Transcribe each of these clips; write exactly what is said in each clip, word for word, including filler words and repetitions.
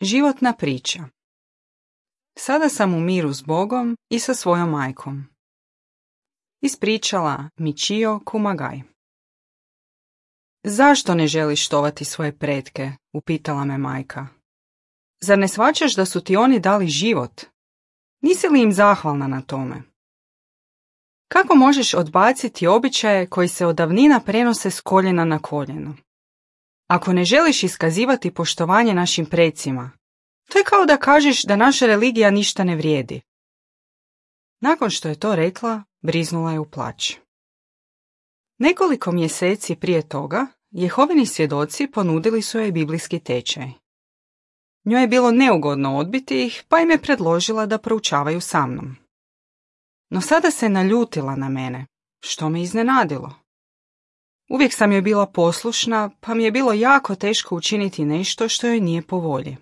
Životna priča. Sada sam u miru s Bogom i sa svojom majkom. Ispričala Michio Kumagai. Zašto ne želiš štovati svoje pretke? Upitala me majka. Zar ne shvaćaš da su ti oni dali život? Nisi li im zahvalna na tome? Kako možeš odbaciti običaje koji se od davnina prenose s koljena na koljeno? Ako ne želiš iskazivati poštovanje našim precima, to je kao da kažeš da naša religija ništa ne vrijedi. Nakon što je to rekla, briznula je u plać. Nekoliko mjeseci prije toga, Jehovini svjedoci ponudili su joj biblijski tečaj. Njoj je bilo neugodno odbiti ih, pa im je predložila da proučavaju sa mnom. No sada se naljutila na mene, što me iznenadilo. Uvijek sam joj bila poslušna, pa mi je bilo jako teško učiniti nešto što joj nije po volji.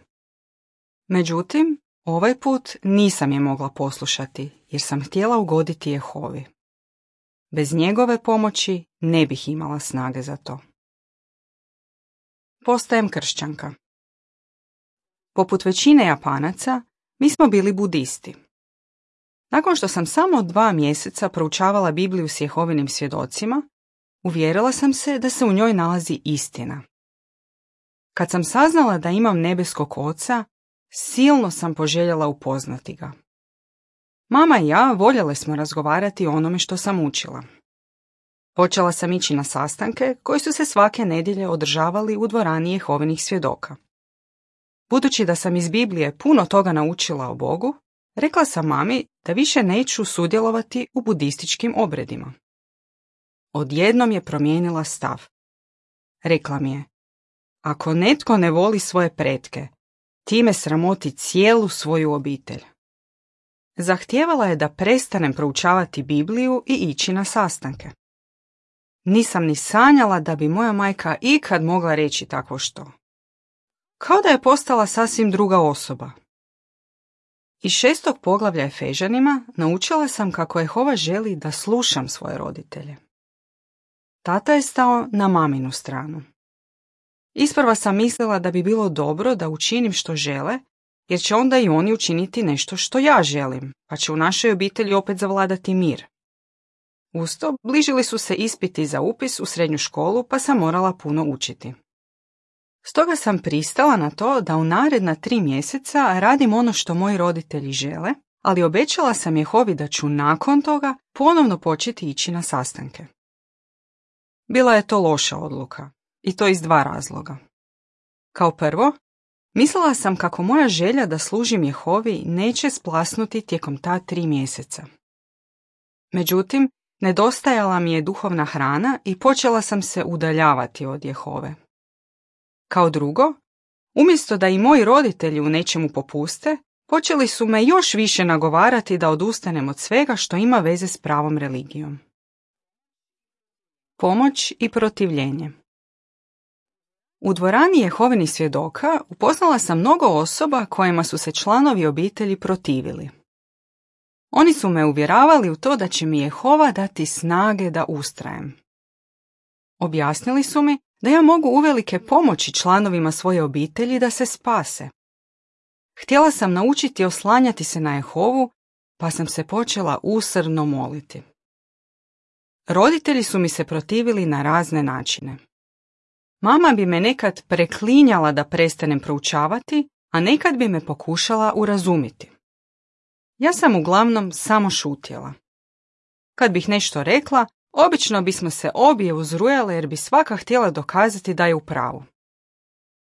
Međutim, ovaj put nisam je mogla poslušati, jer sam htjela ugoditi Jehovi. Bez njegove pomoći ne bih imala snage za to. Postajem kršćanka. Poput većine Japanaca, mi smo bili budisti. Nakon što sam samo dva mjeseca proučavala Bibliju s Jehovinim svjedocima, uvjerila sam se da se u njoj nalazi istina. Kad sam saznala da imam nebeskog oca, silno sam poželjela upoznati ga. Mama i ja voljele smo razgovarati o onome što sam učila. Počela sam ići na sastanke koji su se svake nedjelje održavali u dvorani Jehovinih svjedoka. Budući da sam iz Biblije puno toga naučila o Bogu, rekla sam mami da više neću sudjelovati u budističkim obredima. Odjednom je promijenila stav. Rekla mi je, ako netko ne voli svoje pretke, time sramoti cijelu svoju obitelj. Zahtijevala je da prestanem proučavati Bibliju i ići na sastanke. Nisam ni sanjala da bi moja majka ikad mogla reći takvo što. Kao da je postala sasvim druga osoba. Iz šestog poglavlja Efežanima naučila sam kako Jehova želi da slušam svoje roditelje. Tata je stao na maminu stranu. Isprva sam mislila da bi bilo dobro da učinim što žele, jer će onda i oni učiniti nešto što ja želim, pa će u našoj obitelji opet zavladati mir. Usto, bližili su se ispiti za upis u srednju školu, pa sam morala puno učiti. Stoga sam pristala na to da u naredna tri mjeseca radim ono što moji roditelji žele, ali obećala sam Jehovi da ću nakon toga ponovno početi ići na sastanke. Bila je to loša odluka, i to iz dva razloga. Kao prvo, mislila sam kako moja želja da služim Jehovi neće splasnuti tijekom ta tri mjeseca. Međutim, nedostajala mi je duhovna hrana i počela sam se udaljavati od Jehove. Kao drugo, umjesto da i moji roditelji u nečemu popuste, počeli su me još više nagovarati da odustanem od svega što ima veze s pravom religijom. Pomoć i protivljenje. U dvorani Jehovinih svjedoka upoznala sam mnogo osoba kojima su se članovi obitelji protivili. Oni su me uvjeravali u to da će mi Jehova dati snage da ustrajem. Objasnili su mi da ja mogu uvelike pomoći članovima svoje obitelji da se spase. Htjela sam naučiti oslanjati se na Jehovu, pa sam se počela usrdno moliti. Roditelji su mi se protivili na razne načine. Mama bi me nekad preklinjala da prestanem proučavati, a nekad bi me pokušala urazumiti. Ja sam uglavnom samo šutjela. Kad bih nešto rekla, obično bismo se obje uzrujale jer bi svaka htjela dokazati da je u pravu.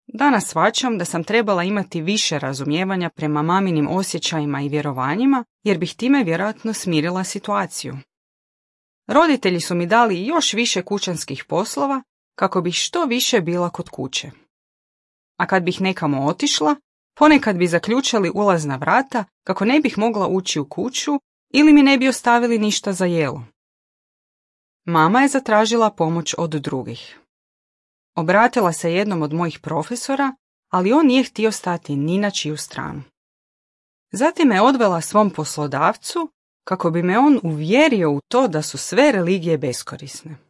Danas shvaćam da sam trebala imati više razumijevanja prema maminim osjećajima i vjerovanjima, jer bih time vjerojatno smirila situaciju. Roditelji su mi dali još više kućanskih poslova kako bih što više bila kod kuće. A kad bih nekamo otišla, ponekad bi zaključali ulazna vrata kako ne bih mogla ući u kuću ili mi ne bi ostavili ništa za jelo. Mama je zatražila pomoć od drugih. Obratila se jednom od mojih profesora, ali on nije htio stati ni na čiju stranu. Zatim me odvela svom poslodavcu kako bi me on uvjerio u to da su sve religije beskorisne.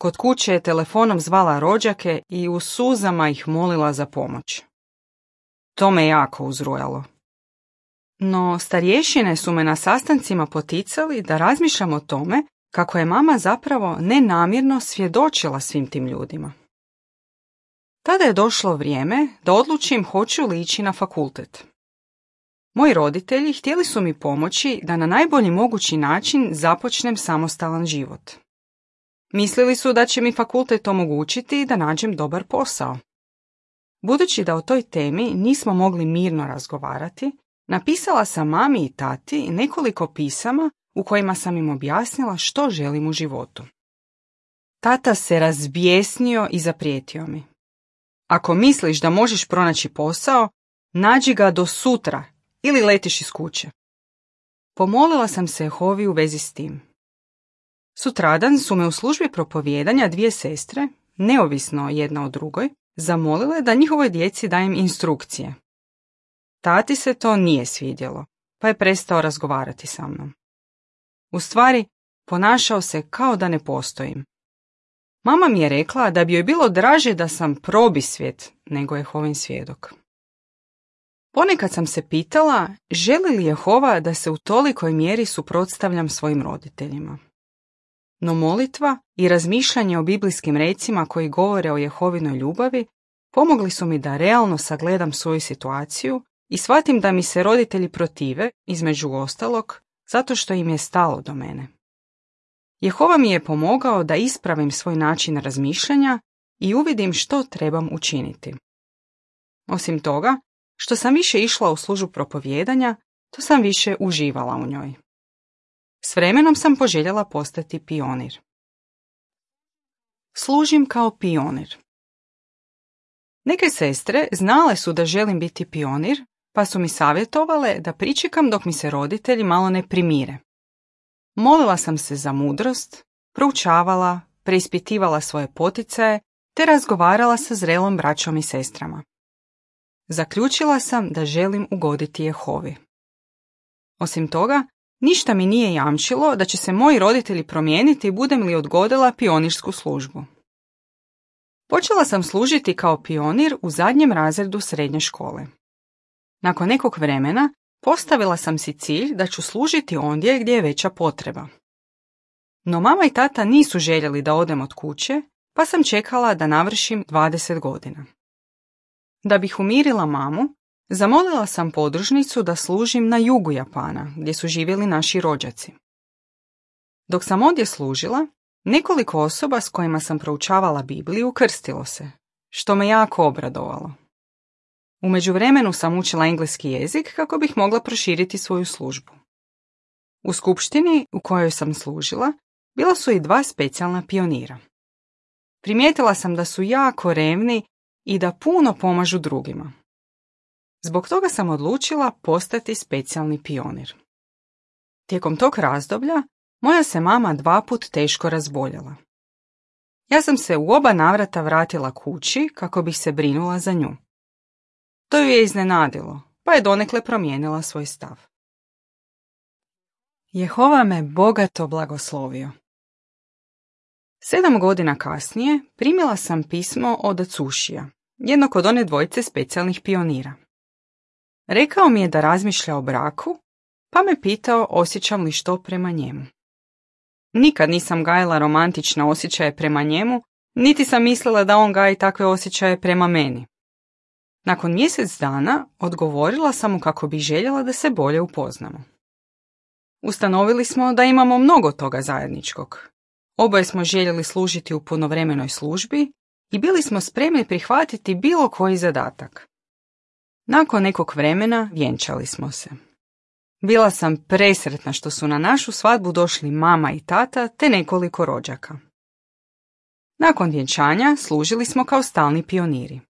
Kod kuće je telefonom zvala rođake i u suzama ih molila za pomoć. To me jako uzrujalo. No, starješine su me na sastancima poticali da razmišljam o tome kako je mama zapravo nenamjerno svjedočila svim tim ljudima. Tada je došlo vrijeme da odlučim hoću li ići na fakultet. Moji roditelji htjeli su mi pomoći da na najbolji mogući način započnem samostalan život. Mislili su da će mi fakultet omogućiti da nađem dobar posao. Budući da o toj temi nismo mogli mirno razgovarati, napisala sam mami i tati nekoliko pisama u kojima sam im objasnila što želim u životu. Tata se razbijesnio i zaprijetio mi. Ako misliš da možeš pronaći posao, nađi ga do sutra ili letiš iz kuće. Pomolila sam se Jehovi u vezi s tim. Sutradan su me u službi propovijedanja dvije sestre, neovisno jedna o drugoj, zamolile da njihovoj djeci dajem instrukcije. Tati se to nije svidjelo, pa je prestao razgovarati sa mnom. U stvari, ponašao se kao da ne postojim. Mama mi je rekla da bi joj bilo draže da sam probisvjet nego Jehovin svjedok. Ponekad sam se pitala želi li Jehova da se u tolikoj mjeri suprotstavljam svojim roditeljima. No molitva i razmišljanje o biblijskim recima koji govore o Jehovinoj ljubavi pomogli su mi da realno sagledam svoju situaciju i shvatim da mi se roditelji protive, između ostalog, zato što im je stalo do mene. Jehova mi je pomogao da ispravim svoj način razmišljanja i uvidim što trebam učiniti. Osim toga, što sam više išla u službu propovijedanja, to sam više uživala u njoj. S vremenom sam poželjela postati pionir. Služim kao pionir. Neke sestre znale su da želim biti pionir, pa su mi savjetovale da pričekam dok mi se roditelji malo ne primire. Molila sam se za mudrost, proučavala, preispitivala svoje poticaje, te razgovarala sa zrelom braćom i sestrama. Zaključila sam da želim ugoditi Jehovi. Osim toga, ništa mi nije jamčilo da će se moji roditelji promijeniti budem li odgodila pionirsku službu. Počela sam služiti kao pionir u zadnjem razredu srednje škole. Nakon nekog vremena postavila sam si cilj da ću služiti ondje gdje je veća potreba. No mama i tata nisu željeli da odem od kuće, pa sam čekala da navršim dvadeset godina. Da bih umirila mamu, zamolila sam podružnicu da služim na jugu Japana, gdje su živjeli naši rođaci. Dok sam ondje služila, nekoliko osoba s kojima sam proučavala Bibliju krstilo se, što me jako obradovalo. U međuvremenu sam učila engleski jezik kako bih mogla proširiti svoju službu. U skupštini u kojoj sam služila bila su i dva specijalna pionira. Primijetila sam da su jako revni i da puno pomažu drugima. Zbog toga sam odlučila postati specijalni pionir. Tijekom tog razdoblja moja se mama dva put teško razboljela. Ja sam se u oba navrata vratila kući kako bih se brinula za nju. To ju je iznenadilo, pa je donekle promijenila svoj stav. Jehova me bogato blagoslovio. Sedam godina kasnije primila sam pismo od Atsushija, jednog od one dvojice specijalnih pionira. Rekao mi je da razmišlja o braku, pa me pitao osjećam li što prema njemu. Nikad nisam gajila romantične osjećaje prema njemu, niti sam mislila da on gaji takve osjećaje prema meni. Nakon mjesec dana odgovorila sam mu kako bi željela da se bolje upoznamo. Ustanovili smo da imamo mnogo toga zajedničkog. Oboje smo željeli služiti u punovremenoj službi i bili smo spremni prihvatiti bilo koji zadatak. Nakon nekog vremena vjenčali smo se. Bila sam presretna što su na našu svadbu došli mama i tata te nekoliko rođaka. Nakon vjenčanja služili smo kao stalni pioniri.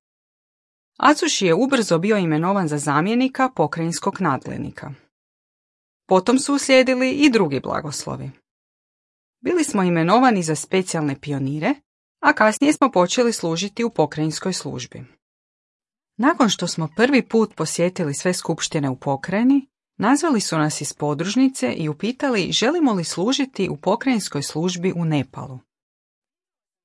Atsushi je ubrzo bio imenovan za zamjenika pokrajinskog nadglednika. Potom su uslijedili i drugi blagoslovi. Bili smo imenovani za specijalne pionire, a kasnije smo počeli služiti u pokrajinskoj službi. Nakon što smo prvi put posjetili sve skupštine u pokrajini, nazvali su nas iz podružnice i upitali želimo li služiti u pokrajinskoj službi u Nepalu.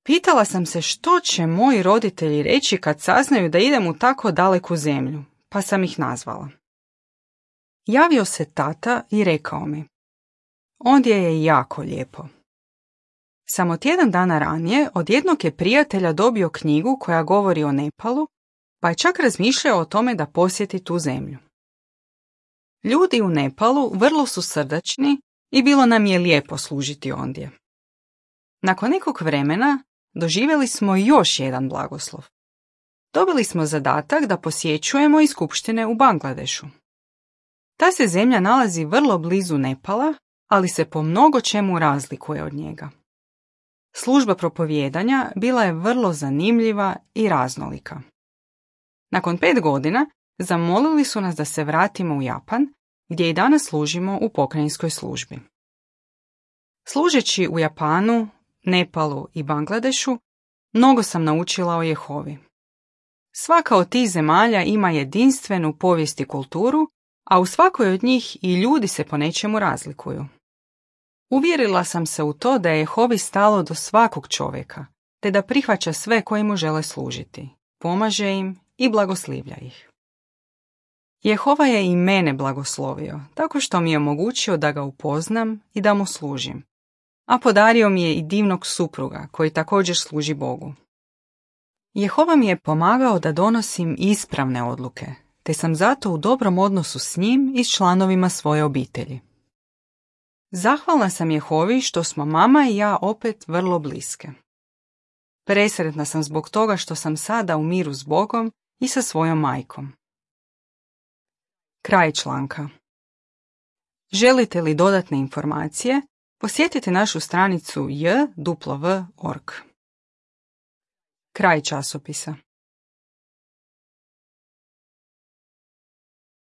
Pitala sam se što će moji roditelji reći kad saznaju da idem u tako daleku zemlju, pa sam ih nazvala. Javio se tata i rekao mi: ondje je jako lijepo. Samo tjedan dana ranije od jednog je prijatelja dobio knjigu koja govori o Nepalu, pa je čak razmišljao o tome da posjeti tu zemlju. Ljudi u Nepalu vrlo su srdačni i bilo nam je lijepo služiti ondje. Nakon nekog vremena doživjeli smo još jedan blagoslov. Dobili smo zadatak da posjećujemo i skupštine u Bangladešu. Ta se zemlja nalazi vrlo blizu Nepala, ali se po mnogo čemu razlikuje od njega. Služba propovijedanja bila je vrlo zanimljiva i raznolika. Nakon pet godina zamolili su nas da se vratimo u Japan, gdje i danas služimo u pokrajinskoj službi. Služeći u Japanu, Nepalu i Bangladešu, mnogo sam naučila o Jehovi. Svaka od tih zemalja ima jedinstvenu povijest i kulturu, a u svakoj od njih i ljudi se po nečemu razlikuju. Uvjerila sam se u to da je Jehovi stalo do svakog čovjeka, te da prihvaća sve koji mu žele služiti, pomaže im i blagoslivlja ih. Jehova je i mene blagoslovio, tako što mi je omogućio da ga upoznam i da mu služim, a podario mi je i divnog supruga koji također služi Bogu. Jehova mi je pomagao da donosim ispravne odluke, te sam zato u dobrom odnosu s njim i s članovima svoje obitelji. Zahvalna sam Jehovi što smo mama i ja opet vrlo bliske. Presretna sam zbog toga što sam sada u miru s Bogom i sa svojom majkom. Kraj članka. Želite li dodatne informacije? Posjetite našu stranicu j w w dot org. Kraj časopisa.